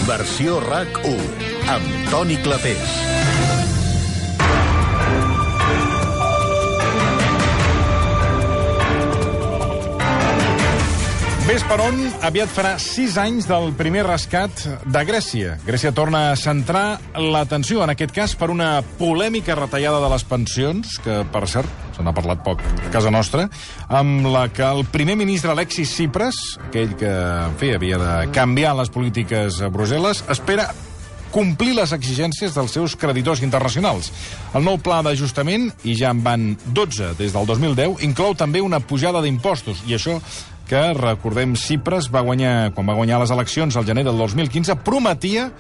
Versió RAC1, amb Toni Clapés. Ves per on, aviat farà 6 anys del primer rescat de Grècia. Grècia torna a centrar l'atenció, en aquest cas, per una polèmica retallada de les pensions, que, per cert, se n'ha parlat poc a casa nostra, amb la que el primer ministre Alexis Tsipras, aquell que, en fi, havia de canviar les polítiques a Brussel·les, espera complir les exigències dels seus creditors internacionals. El nou pla d'ajustament, i ja en van 12 des del 2010, inclou també una pujada d'impostos, i això que, recordem, Tsipras quan va guanyar les eleccions al gener del 2015, prometia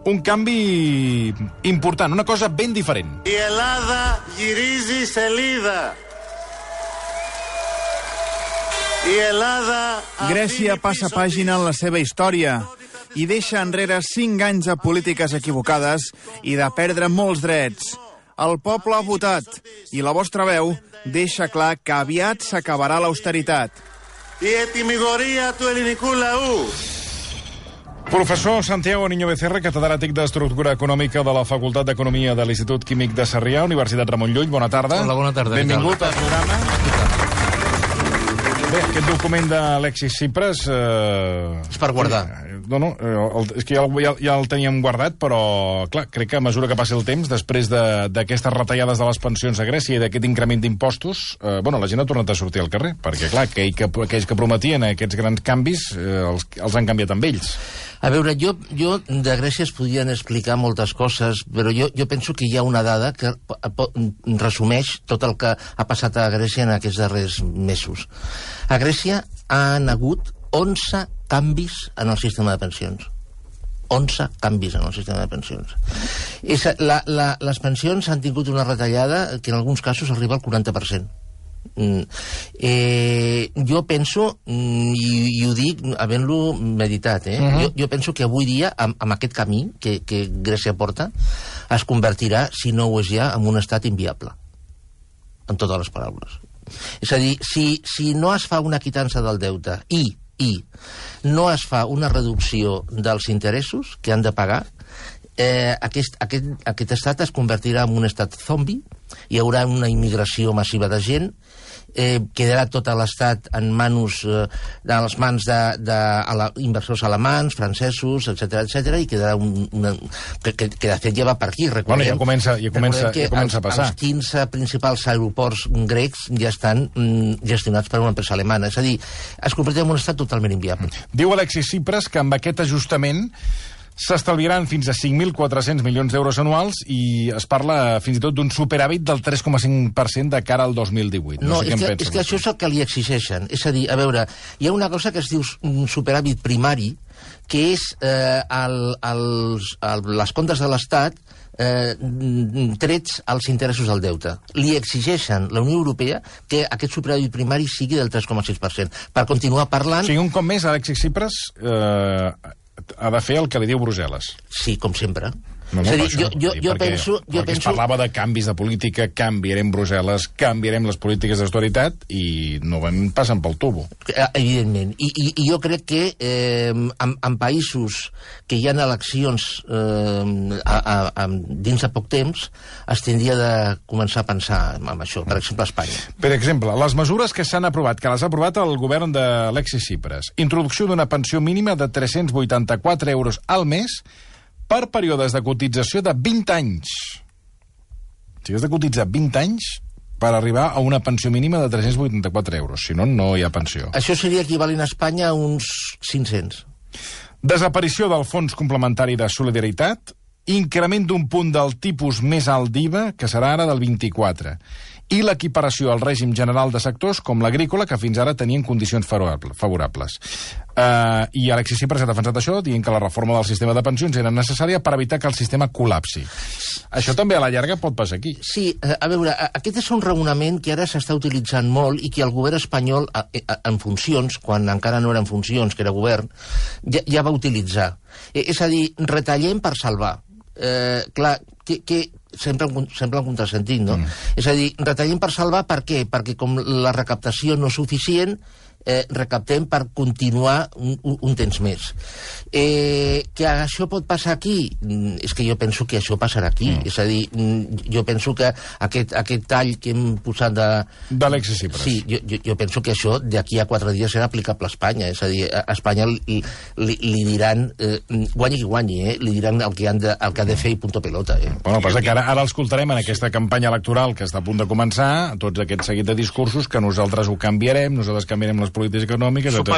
un canvi important, una cosa ben diferent. Η Ελλάδα γυρίζει σελίδα. Η Ελλάδα... Grècia passa pàgina en la seva història i deixa enrere 5 anys de polítiques equivocades i de perdre molts drets. El poble ha votat i la vostra veu deixa clar que aviat s'acabarà l'austeritat. Η ετοιμιγορία του ελληνικού λαού. Professor Santiago Niño Becerra, catedràtic d'Estructura Econòmica de la Facultat d'Economia de l'Institut Químic de Sarrià, Universitat Ramon Llull. Bona tarda. Hola, bona tarda. Benvingut al programa. Bé, aquest document d'Alexis Tsipras... És per guardar. És que ja el teníem guardat, però, clar, crec que a mesura que passi el temps, després d'aquestes retallades de les pensions a Grècia i d'aquest increment d'impostos, la gent ha tornat a sortir al carrer, perquè, clar, aquells que prometien aquests grans canvis els han canviat amb ells. A veure, jo de Grècia es podien explicar moltes coses, però jo penso que hi ha una dada que resumeix tot el que ha passat a Grècia en aquests darrers mesos. A Grècia han hagut 11 canvis en el sistema de pensions. 11 canvis en el sistema de pensions. Les pensions han tingut una retallada que en alguns casos arriba al 40%. Jo penso, i ho dic havent-lo meditat, jo penso que avui dia, amb aquest camí que Grècia porta, es convertirà, si no ho és ja, en un estat inviable. En totes les paraules. És a dir, si no es fa una quitança del deute i no es fa una reducció dels interessos que han de pagar, aquest estat es convertirà en un estat zombi, hi haurà una immigració massiva de gent, quedarà tot l'estat en les mans d'inversors alemanys, francesos, etc, i quedarà que de fet ja va per aquí. Ja comença a passar. Els 15 principals aeroports grecs ja estan gestionats per una empresa alemana. És a dir, es convertirà en un estat totalment inviable. Diu Alexis Tsipras que amb aquest ajustament s'estalviaran fins a 5.400 milions d'euros anuals i es parla fins i tot d'un superàvit del 3,5% de cara al 2018. No, és que això és el que li exigeixen. És a dir, a veure, hi ha una cosa que es diu un superàvit primari, que és les comptes de l'Estat trets als interessos del deute. Li exigeixen la Unió Europea que aquest superàvit primari sigui del 3,6%, per continuar parlant... O sigui, un cop més, Alexis Tsipras ha de fer el que li diu Brussel·les. Sí, com sempre. És a dir, jo penso... Es parlava de canvis de política, canviarem Brussel·les, canviarem les polítiques d'austeritat i no passen pel tubo. Evidentment. I jo crec que en països que hi ha eleccions dins de poc temps es tindria de començar a pensar en això. Per exemple, a Espanya. Per exemple, les mesures que s'han aprovat, que les ha aprovat el govern d'Alexis Tsipras. Introducció d'una pensió mínima de 384 euros al mes per períodes de cotització de 20 anys. O sigui, has de cotitzar 20 anys per arribar a una pensió mínima de 384 euros. Si no, no hi ha pensió. Això seria equivalent a Espanya a uns 500. Desaparició del Fons Complementari de Solidaritat, increment d'un punt del tipus més alt d'IVA, que serà ara del 24%, i l'equiparació al règim general de sectors com l'agrícola, que fins ara tenien condicions favorables. I Alexis Tsipras ha defensat això, dient que la reforma del sistema de pensions era necessària per evitar que el sistema col·lapsi. Això també a la llarga pot passar aquí. Sí, a veure, aquest és un raonament que ara s'està utilitzant molt i que el govern espanyol, en funcions, quan encara no era en funcions, que era govern, ja va utilitzar. És a dir, retallem per salvar. Clar, que sempre un contrasentit, no? És a dir, retallem per salvar, per què? Perquè com la recaptació no és suficient, recaptem per continuar un temps més. Que això pot passar aquí? És que jo penso que això passarà aquí. És a dir, jo penso que aquest tall que hem posat d'Alexis Tsipras. Sí, jo penso que això d'aquí a 4 dies serà aplicable a Espanya. És a dir, a Espanya li diran, guanyi qui guanyi, li diran el que ha de fer i punto pelota. Bueno, passa que ara l'escoltarem en aquesta campanya electoral que està a punt de començar, tots aquest seguit de discursos, que nosaltres ho canviarem, nosaltres canviarem les polítiques econòmiques, etc.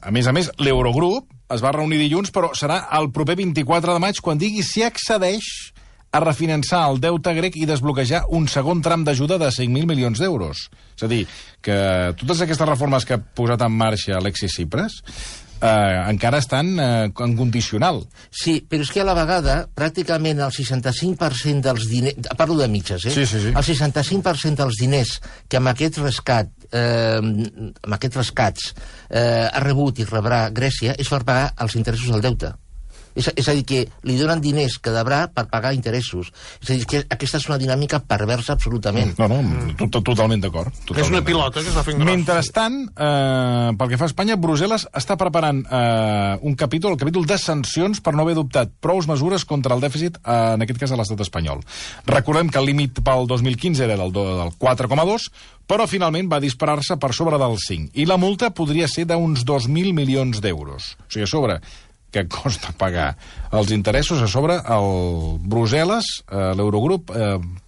A més, l'Eurogrup es va reunir dilluns, però serà el proper 24 de maig quan digui si accedeix a refinançar el deute grec i desbloquejar un segon tram d'ajuda de 5.000 milions d'euros. És a dir, que totes aquestes reformes que ha posat en marxa Alexis Tsipras encara estan en condicional. Sí, però és que a la vegada, pràcticament el 65% dels diners... Parlo de mitges, Sí. El 65% dels diners que amb aquest rescat, amb aquests rescats ha rebut i rebrà Grècia és per pagar els interessos del deute. És a dir, que li donen diners que deurà per pagar interessos. És a dir, que aquesta és una dinàmica perversa absolutament. No, totalment d'acord. És una pilota que està fent gros. Mentrestant, pel que fa a Espanya, Brussel·les està preparant el capítol de sancions per no haver adoptat prous mesures contra el dèficit, en aquest cas a l'estat espanyol. Recordem que el límit pel 2015 era del 4,2, però finalment va disparar-se per sobre del 5. I la multa podria ser d'uns 2.000 milions d'euros. O sigui, a sobre que costa pagar els interessos, a sobre el Brussel·les, l'Eurogrup,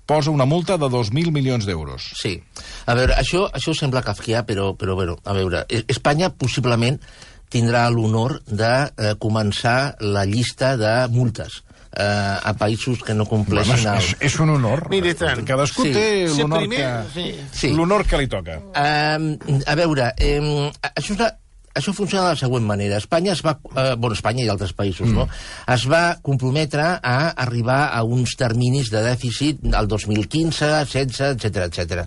posa una multa de 2.000 milions d'euros. Sí. A veure, això sembla kafkià, però bueno, a veure, Espanya possiblement tindrà l'honor de començar la llista de multes a països que no compleixin... És un honor. Mira, tant. Cadascú té l'honor que li toca. A veure, això funciona de la següent manera. Espanya i altres països, no? Es va comprometre a arribar a uns terminis de dèficit al 2015, 16, etc.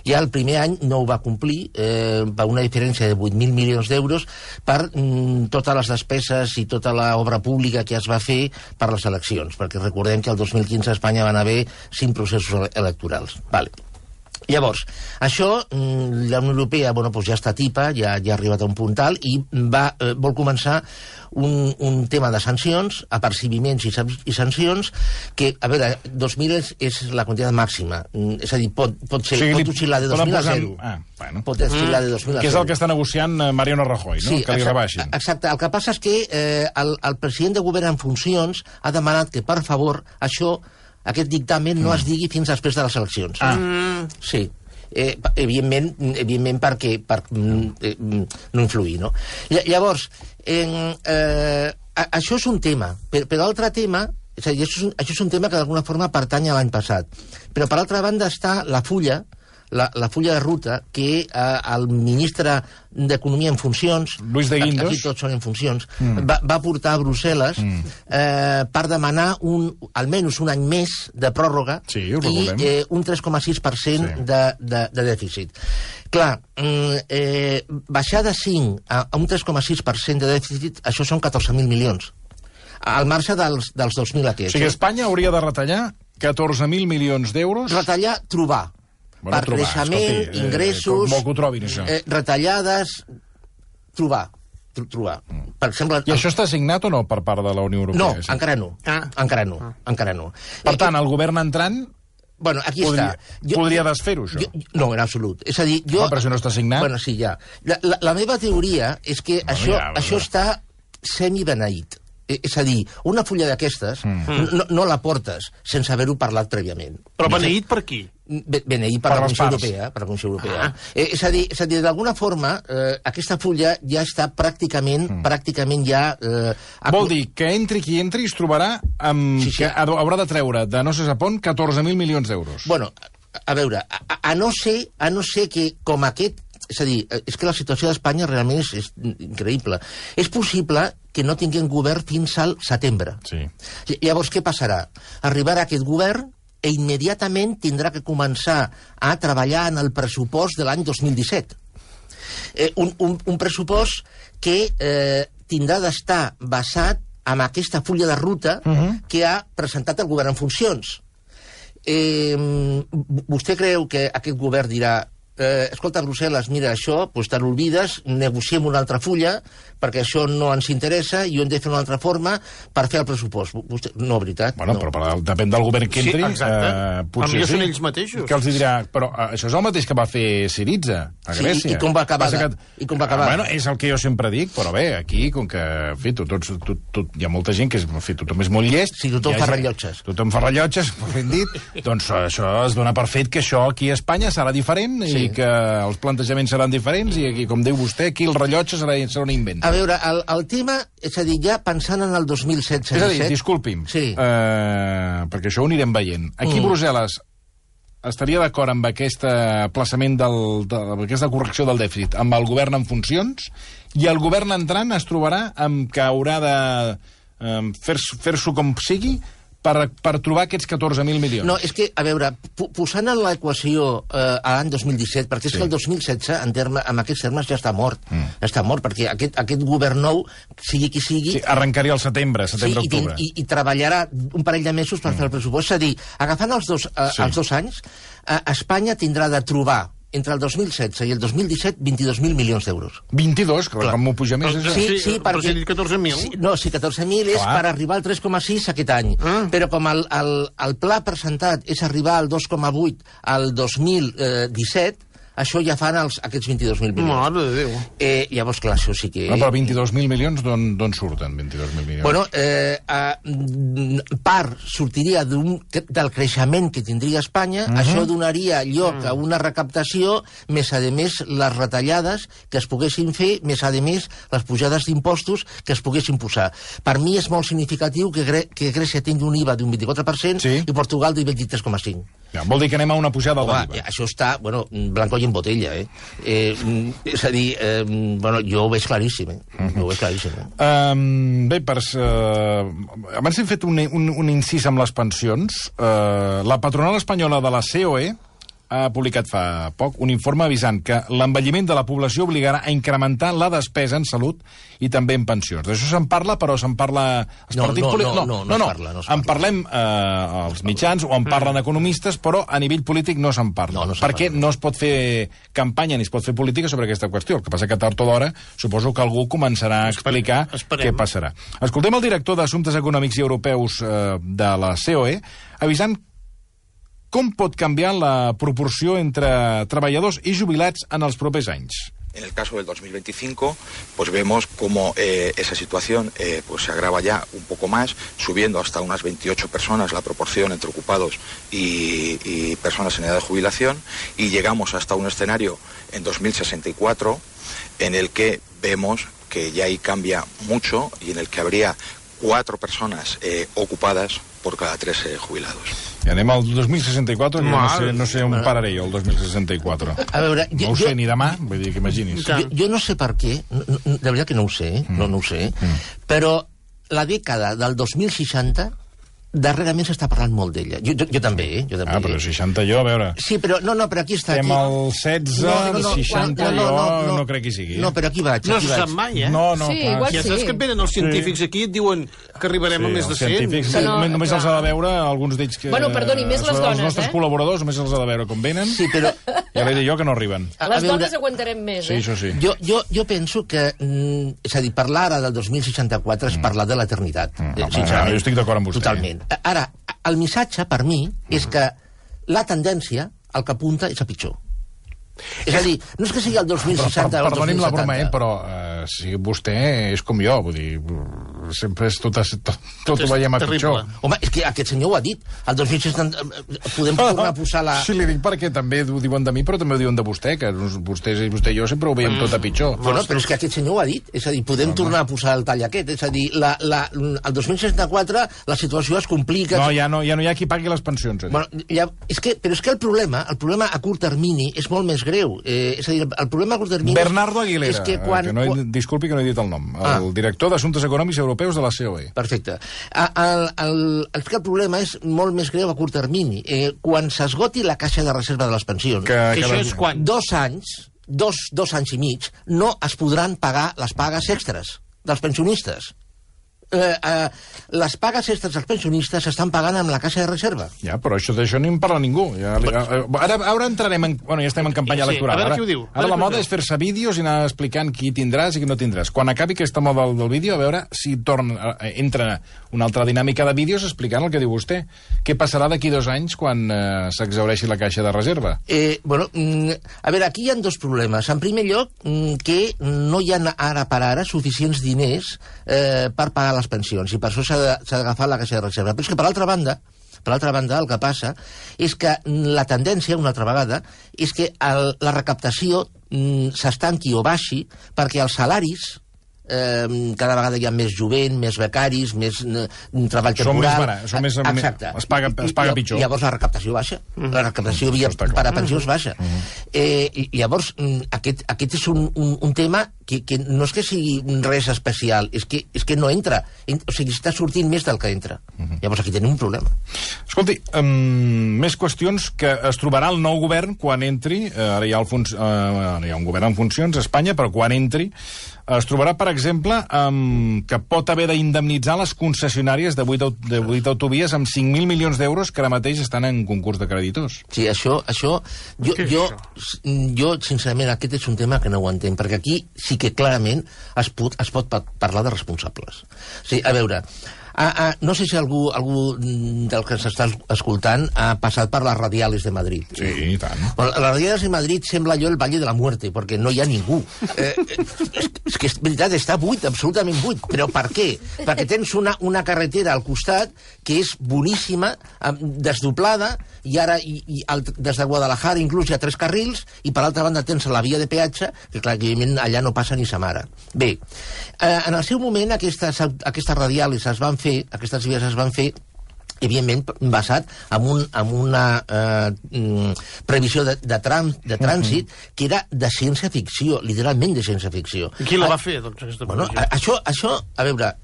Ja el primer any no ho va complir, per una diferència de 8.000 milions d'euros per totes les despeses i tota l'obra pública que es va fer per les eleccions, perquè recordem que el 2015 a Espanya van haver 5 processos electorals. Vale. Llavors, això, la Unió Europea ja està tipa, ja ha arribat a un punt alt i vol començar un tema de sancions, apercibiments i sancions, que, a veure, 2.000 és la quantitat màxima. És a dir, pot oscil·lar de 2.000 a 0. Pot oscil·lar de 2.000 a 0. Que és el que està negociant Mariano Rajoy, no? Sí, que li rebaixin. Exacte. El que passa és que el president de govern en funcions ha demanat que, per favor, aquest dictamen no es digui fins després de les eleccions. Sí. Evidentment per no influir, no? Llavors, això és un tema, però l'altre tema, és a dir, això és un tema que d'alguna forma pertany a l'any passat, però per altra banda està la fulla de ruta que el ministre d'Economia en funcions, Luis de Guindos, aquí tots són en funcions, va portar a Brussel·les per demanar almenys un any més de pròrroga i un 3,6% de dèficit. Clar, baixar de 5 a un 3,6% de dèficit, això són 14.000 milions. Al marge dels 2.000 aquests. O sigui, Espanya hauria de retallar 14.000 milions d'euros... Retallar, trobar. Per creixement, ingressos, retallades, trobar. Per exemple... I això està signat o no per part de la Unió Europea? No, encara no. Per tant, el govern entrant podria desfer-ho, això? No, en absolut. És a dir, però si no està signat... Bueno, sí, ja. La meva teoria és que això està semi-beneït. És a dir, una fulla d'aquestes no la portes sense haver-ho parlat prèviament. Però beneït per qui? Beneït per la Comissió Europea. És a dir, d'alguna forma, aquesta fulla ja està pràcticament ja... Vol dir que entri qui entri es trobarà que haurà de treure de no sé on 14.000 milions d'euros. Bueno, a veure, a no ser que com aquest... És a dir, és que la situació d'Espanya realment és increïble. És possible que no tinguem govern fins al setembre. Sí. Llavors, què passarà? Arribarà aquest govern i immediatament tindrà que començar a treballar en el pressupost de l'any 2017. Un pressupost que tindrà d'estar basat en aquesta fulla de ruta que ha presentat el govern en funcions. Vostè creu que aquest govern dirà escolta, Brussel·les, mira, això, doncs te n'olvides, negociem una altra fulla, perquè això no ens interessa i ho hem de fer d'una altra forma per fer el pressupost. No, veritat. Bueno, no. però depèn del govern que entri. Sí, exacte. Potser Potser sí. són ells mateixos. Que els dirà, però això és el mateix que va fer Syriza a Grècia. Sí, i com va acabar? I com va acabar? Bueno, és el que jo sempre dic, però bé, aquí, com que, en fi, hi ha molta gent que tothom és molt llest. Sí, tothom fa rellotges. Tothom fa rellotges, ben dit. Doncs això es dona per fet que això aquí a Espanya serà diferent i que els plantejaments seran diferents i aquí, com diu vostè, aquí el rellotge serà un invent. A veure, el tema, és a dir, ja pensant en el 2016-17... És a dir, disculpi'm, perquè això ho anirem veient. Aquí Brussel·les estaria d'acord amb aquest aplaçament amb aquesta correcció del dèficit amb el govern en funcions i el govern entrant es trobarà amb que haurà de fer-s'ho com sigui per trobar aquests 14.000 milions. No, és que, a veure, posant en l'equació a l'any 2017, perquè és que el 2016, amb aquests termes, ja està mort. Ja està mort, perquè aquest govern nou, sigui qui sigui... Sí, arrencaria al setembre-octubre. I treballarà un parell de mesos per fer el pressupost. És a dir, agafant els dos anys, Espanya tindrà de trobar entre el 2016 i el 2017, 22.000 milions d'euros. 22? Que com m'ho puja més? Sí, però si he dit 14.000. No, sí, 14.000 és per arribar al 3,6 aquest any. Però com el pla presentat és arribar al 2,8 al 2017, això ja fan aquests 22.000 milions. Mare de Déu. Llavors, clar, això sí que... No, però 22.000 milions d'on surten, 22.000 milions? Bueno, part sortiria del creixement que tindria Espanya, això donaria lloc a una recaptació, més a més les retallades que es poguessin fer, més a més les pujades d'impostos que es poguessin posar. Per mi és molt significatiu que Grècia tingui un IVA d'un 24% i Portugal d'un 23,5%. Ja, vol dir que anem a una pujada de l'IVA. Això està, bueno, blanco i en botella, és a dir, bueno, jo ho veig claríssim, ho veig claríssim. Bé, abans hem fet un incís amb les pensions. La patronal espanyola de la COE ha publicat fa poc un informe avisant que l'envelliment de la població obligarà a incrementar la despesa en salut i també en pensions. D'això se'n parla, però se'n parla... No, en parlem als mitjans o en parlen economistes, però a nivell polític no se'n parla. Perquè no es pot fer campanya ni es pot fer política sobre aquesta qüestió. El que passa que tard o d'hora suposo que algú començarà a explicar què passarà. Escoltem el director d'Assumptes Econòmics i Europeus de la COE avisant com pot canviar la proporció entre treballadors i jubilats en els propers anys. En el caso del 2025, pues vemos cómo esa situación pues se agrava ya un poco más, subiendo hasta unas 28 personas la proporción entre ocupados y personas en edad de jubilación, y llegamos hasta un escenario en 2064 en el que vemos que ya ahí cambia mucho y en el que habría 4 personas ocupadas por cada 3 jubilados. I anem al 2064, no sé on pararé jo, el 2064. A veure, no ho sé ni demà, vull dir que imaginis. Jo no sé per què, de veritat que no ho sé, no ho sé, però la dècada del 2060... darrerament s'està parlant molt d'ella. Jo també, però 60 jo, a veure... Sí, però però aquí està... Estem al 16, 60 jo no crec que sigui. No, però aquí vaig. No se sap mai, No, sí, igual ja saps que venen els científics aquí i et diuen que arribarem a més de 100. Els científics només els ha de veure alguns d'ells que... Bueno, perdoni, més les dones, Els nostres col·laboradors només els ha de veure com venen. Sí, però... Ja l'he dit jo que no arriben. Les dones aguantarem més, Sí, això sí. Jo penso que... És a dir, parlar ara del 2064 és parlar de l'eternitat. Jo estic d'acord amb vostè. Totalment. Ara, el missatge, per mi, és que la tendència, el que apunta, és a pitjor. És a dir, no és que sigui el 2060 o el 2070. Perdoni'm la broma, però si vostè és com jo, vull dir, sempre és tot ho veiem a pitjor. Home, és que aquest senyor ho ha dit. El 2060 podem tornar a posar la... Sí, li dic perquè també ho diuen de mi, però també ho diuen de vostè, que vostè i jo sempre ho veiem tot a pitjor. Bueno, però és que aquest senyor ho ha dit. És a dir, podem tornar a posar el tall aquest. És a dir, el 2064 la situació es complica... No, ja no hi ha qui pagui les pensions. Bueno, però és que el problema a curt termini és molt més greu. És a dir, el problema a curt termini... Bernardo Aguilera, és que quan... disculpi que no he dit el nom, el director d'Assumptes Econòmics Europeus de la COE. Perfecte. El problema és molt més greu a curt termini. Quan s'esgoti la caixa de reserva de les pensions... Que això és quan? 2 anys, dos anys i mig, no es podran pagar les pagues extres dels pensionistes. les pagues extres dels pensionistes s'estan pagant amb la caixa de reserva. Ja, però d'això ni en parla ningú. Ara entrarem en... Bueno, ja estem en campanya electoral. A veure qui ho diu. Ara la moda és fer-se vídeos i anar explicant qui tindràs i qui no tindràs. Quan acabi aquesta moda del vídeo, a veure si entra una altra dinàmica de vídeos explicant el que diu vostè. Què passarà d'aquí 2 anys quan s'exhaureixi la caixa de reserva? Bueno, a veure, aquí hi ha 2 problemes. En primer lloc, que no hi ha ara per ara suficients diners per pagar les pensions, i per això s'ha d'agafar la caixa de reserva. Però és que, per altra banda, el que passa és que la tendència, una altra vegada, és que la recaptació s'estanqui o baixi perquè els salaris cada vegada hi ha més jovent, més becaris, més treball temporal. Són més barats, exacte. Es paga pitjor. Llavors la recaptació baixa. La recaptació per a pensions baixa. Llavors, aquest és un tema que no és que sigui res especial, és que no entra. O sigui, està sortint més del que entra. Llavors aquí tenim un problema. Escolti, més qüestions que es trobarà el nou govern quan entri. Ara hi ha un govern en funcions a Espanya, però quan entri es trobarà, per exemple, que pot haver d'indemnitzar les concessionàries de 8 autovies amb 5.000 milions d'euros que ara mateix estan en concurs de creditors. Sí, això jo, sincerament, aquest és un tema que no ho entenc, perquè aquí sí que clarament es pot parlar de responsables. Sí, a veure, no sé si algú del que s'està escoltant ha passat per les radiales de Madrid. Sí, i tant. Bueno, les radiales de Madrid sembla allò el Valle de la Muerte, perquè no hi ha ningú. És que és veritat, està buit, absolutament buit. Però per què? Perquè tens una carretera al costat que és boníssima, desdoblada, i ara des de Guadalajara inclús hi ha 3 carrils, i per l'altra banda tens la via de peatge, que clar, evidentment allà no passa ni sa mare. Bé, en el seu moment aquestes radiales aquestes vies es van fer evidentment basat en una previsió de trànsit que era de ciència-ficció, literalment de ciència-ficció. I qui la va fer, doncs, aquesta previsió? Això, a veure,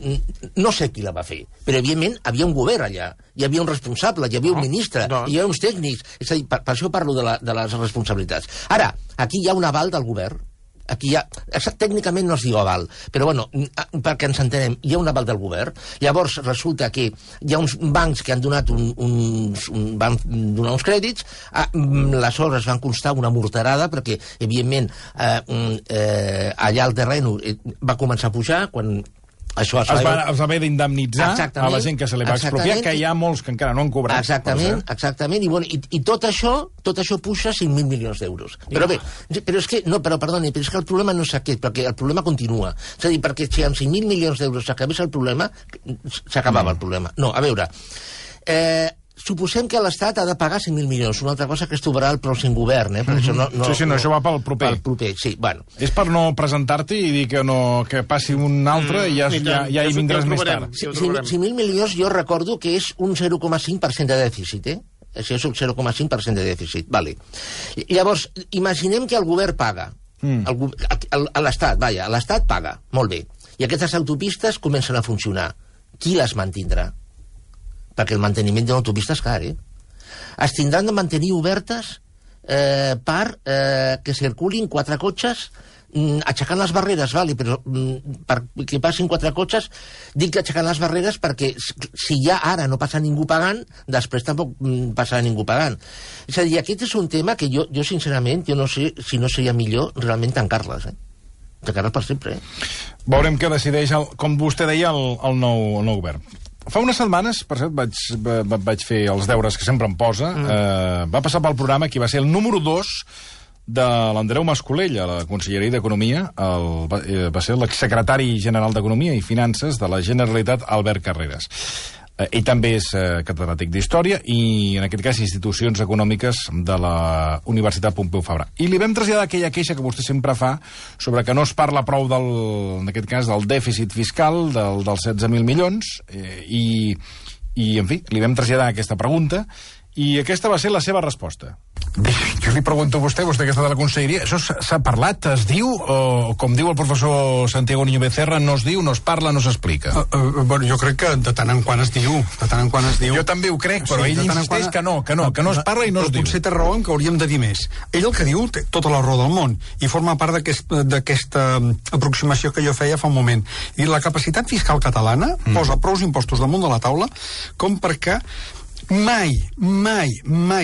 no sé qui la va fer, però evidentment havia un govern allà, hi havia un responsable, hi havia un ministre, hi havia uns tècnics, és a dir, per això parlo de les responsabilitats. Ara, aquí hi ha un aval del govern, aquí tècnicament no es diu aval, però bueno, perquè ens entenem, hi ha un aval del govern. Llavors resulta que hi ha uns bancs que han donat van donar uns crèdits, les obres van constar una morterada, perquè evidentment allà el terreny va començar a pujar quan es va haver d'indemnitzar a la gent que se li va expropiar, que hi ha molts que encara no han cobrat. Exactament, i tot això puja 5.000 milions d'euros. Però bé, però és que el problema no és aquest, perquè el problema continua. És a dir, perquè si amb 5.000 milions d'euros s'acabés el problema, s'acabava el problema. No, a veure, suposem que l'Estat ha de pagar 5.000 milions, una altra cosa que es trobarà el pròxim govern, per això això va pel proper. Pel proper, sí, bueno. És per no presentar-te i dir que passi un altre i ja hi vindràs més tard. 5.000 milions jo recordo que és un 0,5% de dèficit, Això és un 0,5% de dèficit, vale. Llavors, imaginem que el govern paga. L'Estat paga, molt bé. I aquestes autopistes comencen a funcionar. Qui les mantindrà? Perquè el manteniment d'una autopista és car, Es tindran de mantenir obertes per que circulin 4 cotxes aixecant les barreres, però perquè passin 4 cotxes, dic que aixecant les barreres perquè si ja ara no passa ningú pagant, després tampoc passarà ningú pagant. És a dir, aquest és un tema que jo sincerament, jo no sé si no seria millor realment tancar-les, tancar-les per sempre. Veurem què decideix, com vostè deia, el nou govern. Fa unes setmanes, per cert, vaig fer els deures que sempre em posa, va passar pel programa qui va ser el número 2 de l'Andreu Mascolell a la Conselleria d'Economia, va ser l'exsecretari general d'Economia i Finances de la Generalitat, Albert Carreras. Ell també és catedràtic d'Història i, en aquest cas, Institucions Econòmiques de la Universitat Pompeu Fabra. I li vam traslladar aquella queixa que vostè sempre fa sobre que no es parla prou, en aquest cas, del dèficit fiscal, dels 16.000 milions, i, en fi, li vam traslladar aquesta pregunta I aquesta va ser la seva resposta. Bé, jo li pregunto a vostè que està de la conselleria, això s'ha parlat, es diu, o com diu el professor Santiago Niño Becerra, no es diu, no es parla, no s'explica? Bueno, jo crec que de tant en quant es diu, Jo també ho crec, però ell insisteix que no es parla i no es diu. Potser té raó en que hauríem de dir més. Ell el que diu té tota la raó del món, i forma part d'aquesta aproximació que jo feia fa un moment. I la capacitat fiscal catalana posa prous impostos damunt de la taula com perquè mai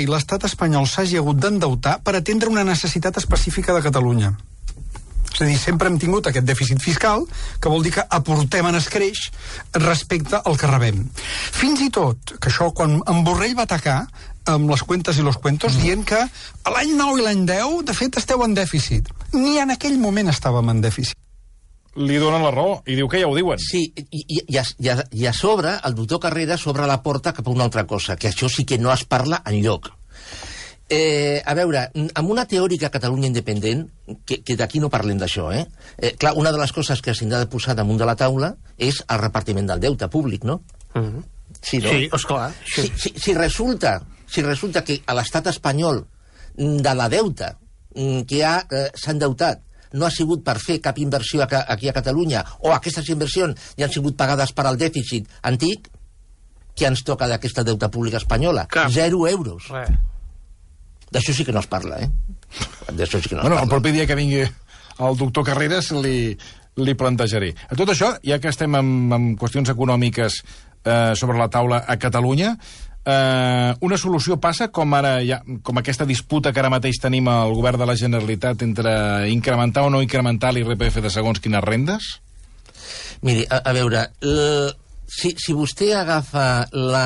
l'estat espanyol s'hagi hagut d'endeutar per atendre una necessitat específica de Catalunya. És a dir, sempre hem tingut aquest dèficit fiscal, que vol dir que aportem en escreix respecte al que rebem. Fins i tot, que això, quan en Borrell va atacar amb les cuentes i los cuentos, dient que l'any 9 i l'any 10, de fet, esteu en dèficit. Ni en aquell moment estàvem en dèficit. Li donen la raó i diu que ja ho diuen. Sí, i a sobre, el doctor Carreras obre la porta cap a una altra cosa, que això sí que no es parla enlloc. A veure, amb una teòrica Catalunya independent, que d'aquí no parlem d'això, clar, una de les coses que s'ha de posar damunt de la taula és el repartiment del deute públic, no? Sí, no? Sí, esclar. Si resulta que a l'estat espanyol de la deuta que s'ha endeutat no ha sigut per fer cap inversió aquí a Catalunya, o aquestes inversions ja han sigut pagades per al dèficit antic, què ens toca d'aquesta deuta pública espanyola? 0 euros. D'això sí que no es parla, D'això sí que no es parla. El propi dia que vingui el doctor Carreras li plantejaré. A tot això, ja que estem en qüestions econòmiques sobre la taula a Catalunya, una solució passa com aquesta disputa que ara mateix tenim al govern de la Generalitat entre incrementar o no incrementar l'IRPF de segons quines rendes? Miri, a veure, si vostè agafa el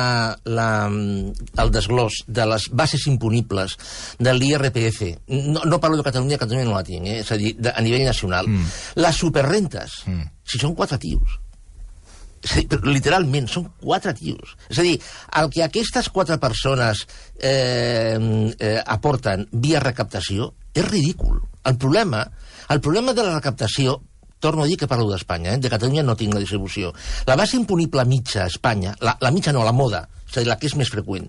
desglòs de les bases imponibles de l'IRPF, no parlo de Catalunya no la tinc, és a dir, a nivell nacional, les superrentes, si són 4 tios, literalment, són 4 tios. És a dir, el que aquestes 4 persones aporten via recaptació és ridícul. El problema de la recaptació, torno a dir que parlo d'Espanya, de Catalunya no tinc la distribució. La base imponible mitja a Espanya, la mitja no, la moda, és a dir, la que és més freqüent,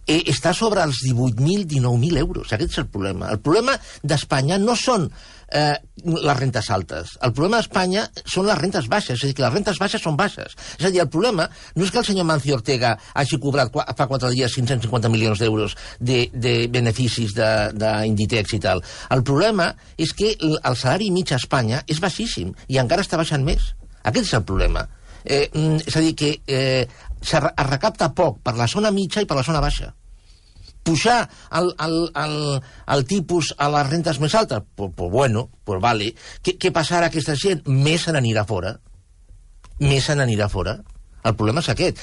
està sobre els 18.000, 19.000 euros. Aquest és el problema. El problema d'Espanya no són les rentes altes. El problema d'Espanya són les rentes baixes, és a dir, que les rentes baixes són baixes. És a dir, el problema no és que el senyor Mancio Ortega hagi cobrat fa 4 dies 550 milions d'euros de beneficis d'Inditex i tal. El problema és que el salari mig a Espanya és baixíssim i encara està baixant més. Aquest és el problema. És a dir, que es recapta poc per la zona mitja i per la zona baixa. Pujar el tipus a les rentes més altes? Pues vale. Què passarà a aquesta gent? Més se n'anirà fora. El problema és aquest.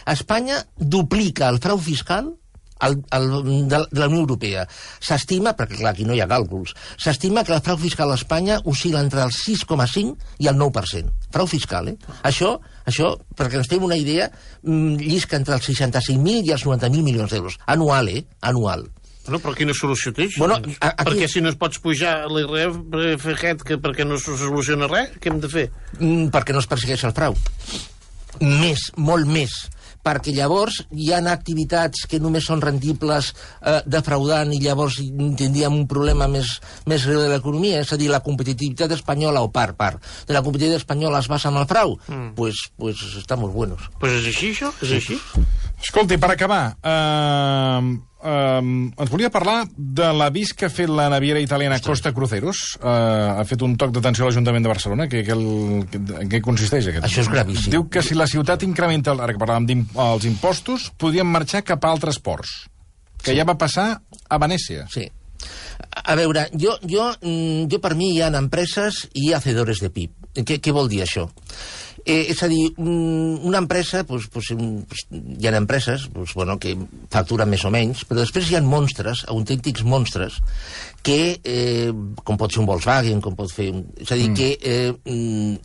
Espanya duplica el frau fiscal de la Unió Europea. S'estima, perquè clar, aquí no hi ha càlculs, s'estima que el frau fiscal a Espanya oscil·la entre el 6,5 i el 9%. Frau fiscal, Això, perquè ens fem una idea, llisca entre els 65.000 i els 90.000 milions d'euros. Anual, Anual. Bueno, però quina solució té això? Bueno, perquè si no es pots pujar l'IRPF aquest, perquè no se soluciona res, què hem de fer? Perquè no es persegueix el frau. Molt més. Perquè llavors hi ha activitats que només són rendibles defraudant i llavors tindríem un problema més greu de l'economia, és a dir, la competitivitat espanyola o part de la competitivitat espanyola es basa en el frau, pues estamos buenos. Pues és així, això? És així? Escolti, per acabar, ens volia parlar de l'avís que ha fet la naviera italiana Costa Cruceros. Ha fet un toc d'atenció a l'Ajuntament de Barcelona. En què consisteix aquest? Això és gravíssim. Diu que si la ciutat incrementa, ara que parlàvem dels impostos, podien marxar cap a altres ports, que ja va passar a Venècia. Sí. A veure, jo per mi hi ha empreses i hacedores de PIB. Què vol dir això? És a dir, una empresa, hi ha empreses que facturen més o menys, però després hi ha monstres, autèntics monstres, que, com pot ser un Volkswagen, com pot fer... És a dir, que en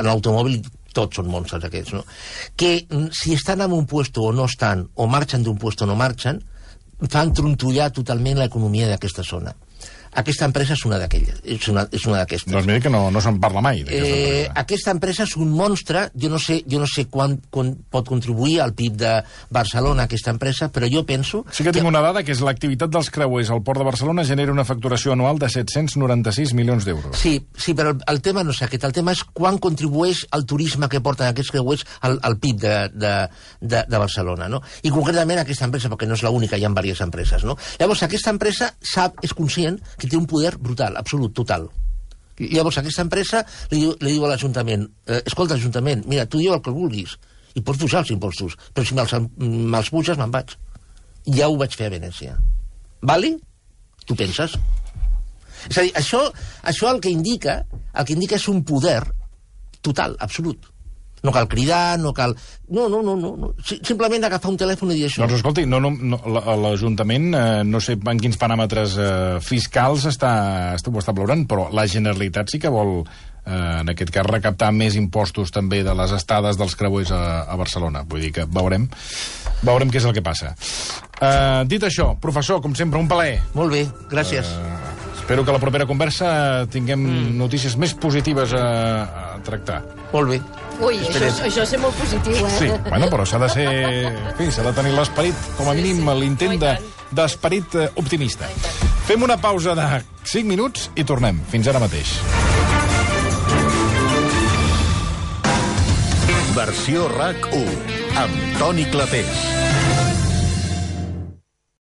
l'automòbil tots són monstres aquests, no? Que si estan en un puesto o no estan, o marxen d'un puesto o no marxen, fan trontollar totalment l'economia d'aquesta zona. Aquesta empresa és una d'aquelles. És una d'aquestes. Doncs mira que no se'n parla mai. Aquesta empresa és un monstre. Jo no sé quan pot contribuir al PIB de Barcelona, aquesta empresa, però jo penso... Sí que tinc una dada, que és l'activitat dels creuers al Port de Barcelona genera una facturació anual de 796 milions d'euros. Sí, però el tema no és aquest. El tema és quan contribueix el turisme que porten aquests creuers al PIB de Barcelona, no? I concretament aquesta empresa, perquè no és l'única, hi ha diverses empreses, no? Llavors, aquesta empresa és conscient que té un poder brutal, absolut, total. Llavors, aquesta empresa li diu a l'Ajuntament, escolta, Ajuntament, mira, tu diu el que vulguis, i pots pujar els impostos, però si me'ls puges, me'n vaig. Ja ho vaig fer a Venècia. Vali? Tu penses? És a dir, això el que indica és un poder total, absolut. No cal cridar, no cal... No. Simplement agafar un telèfon i dir això. Doncs escolti, l'Ajuntament, no sé en quins paràmetres fiscals ho està valorant, però la Generalitat sí que vol, en aquest cas, recaptar més impostos també de les estades dels creuers a Barcelona. Vull dir que veurem què és el que passa. Dit això, professor, com sempre, un plaer. Molt bé, gràcies. Espero que a la propera conversa tinguem notícies més positives a tractar. Molt bé. Ui, això és ser molt positiu, eh? Sí, bueno, però s'ha de ser... En fi, s'ha de tenir l'esperit, com a mínim l'intent d'esperit optimista. Fem una pausa de 5 minuts i tornem. Fins ara mateix. Versió RAC 1, amb Toni Clapés.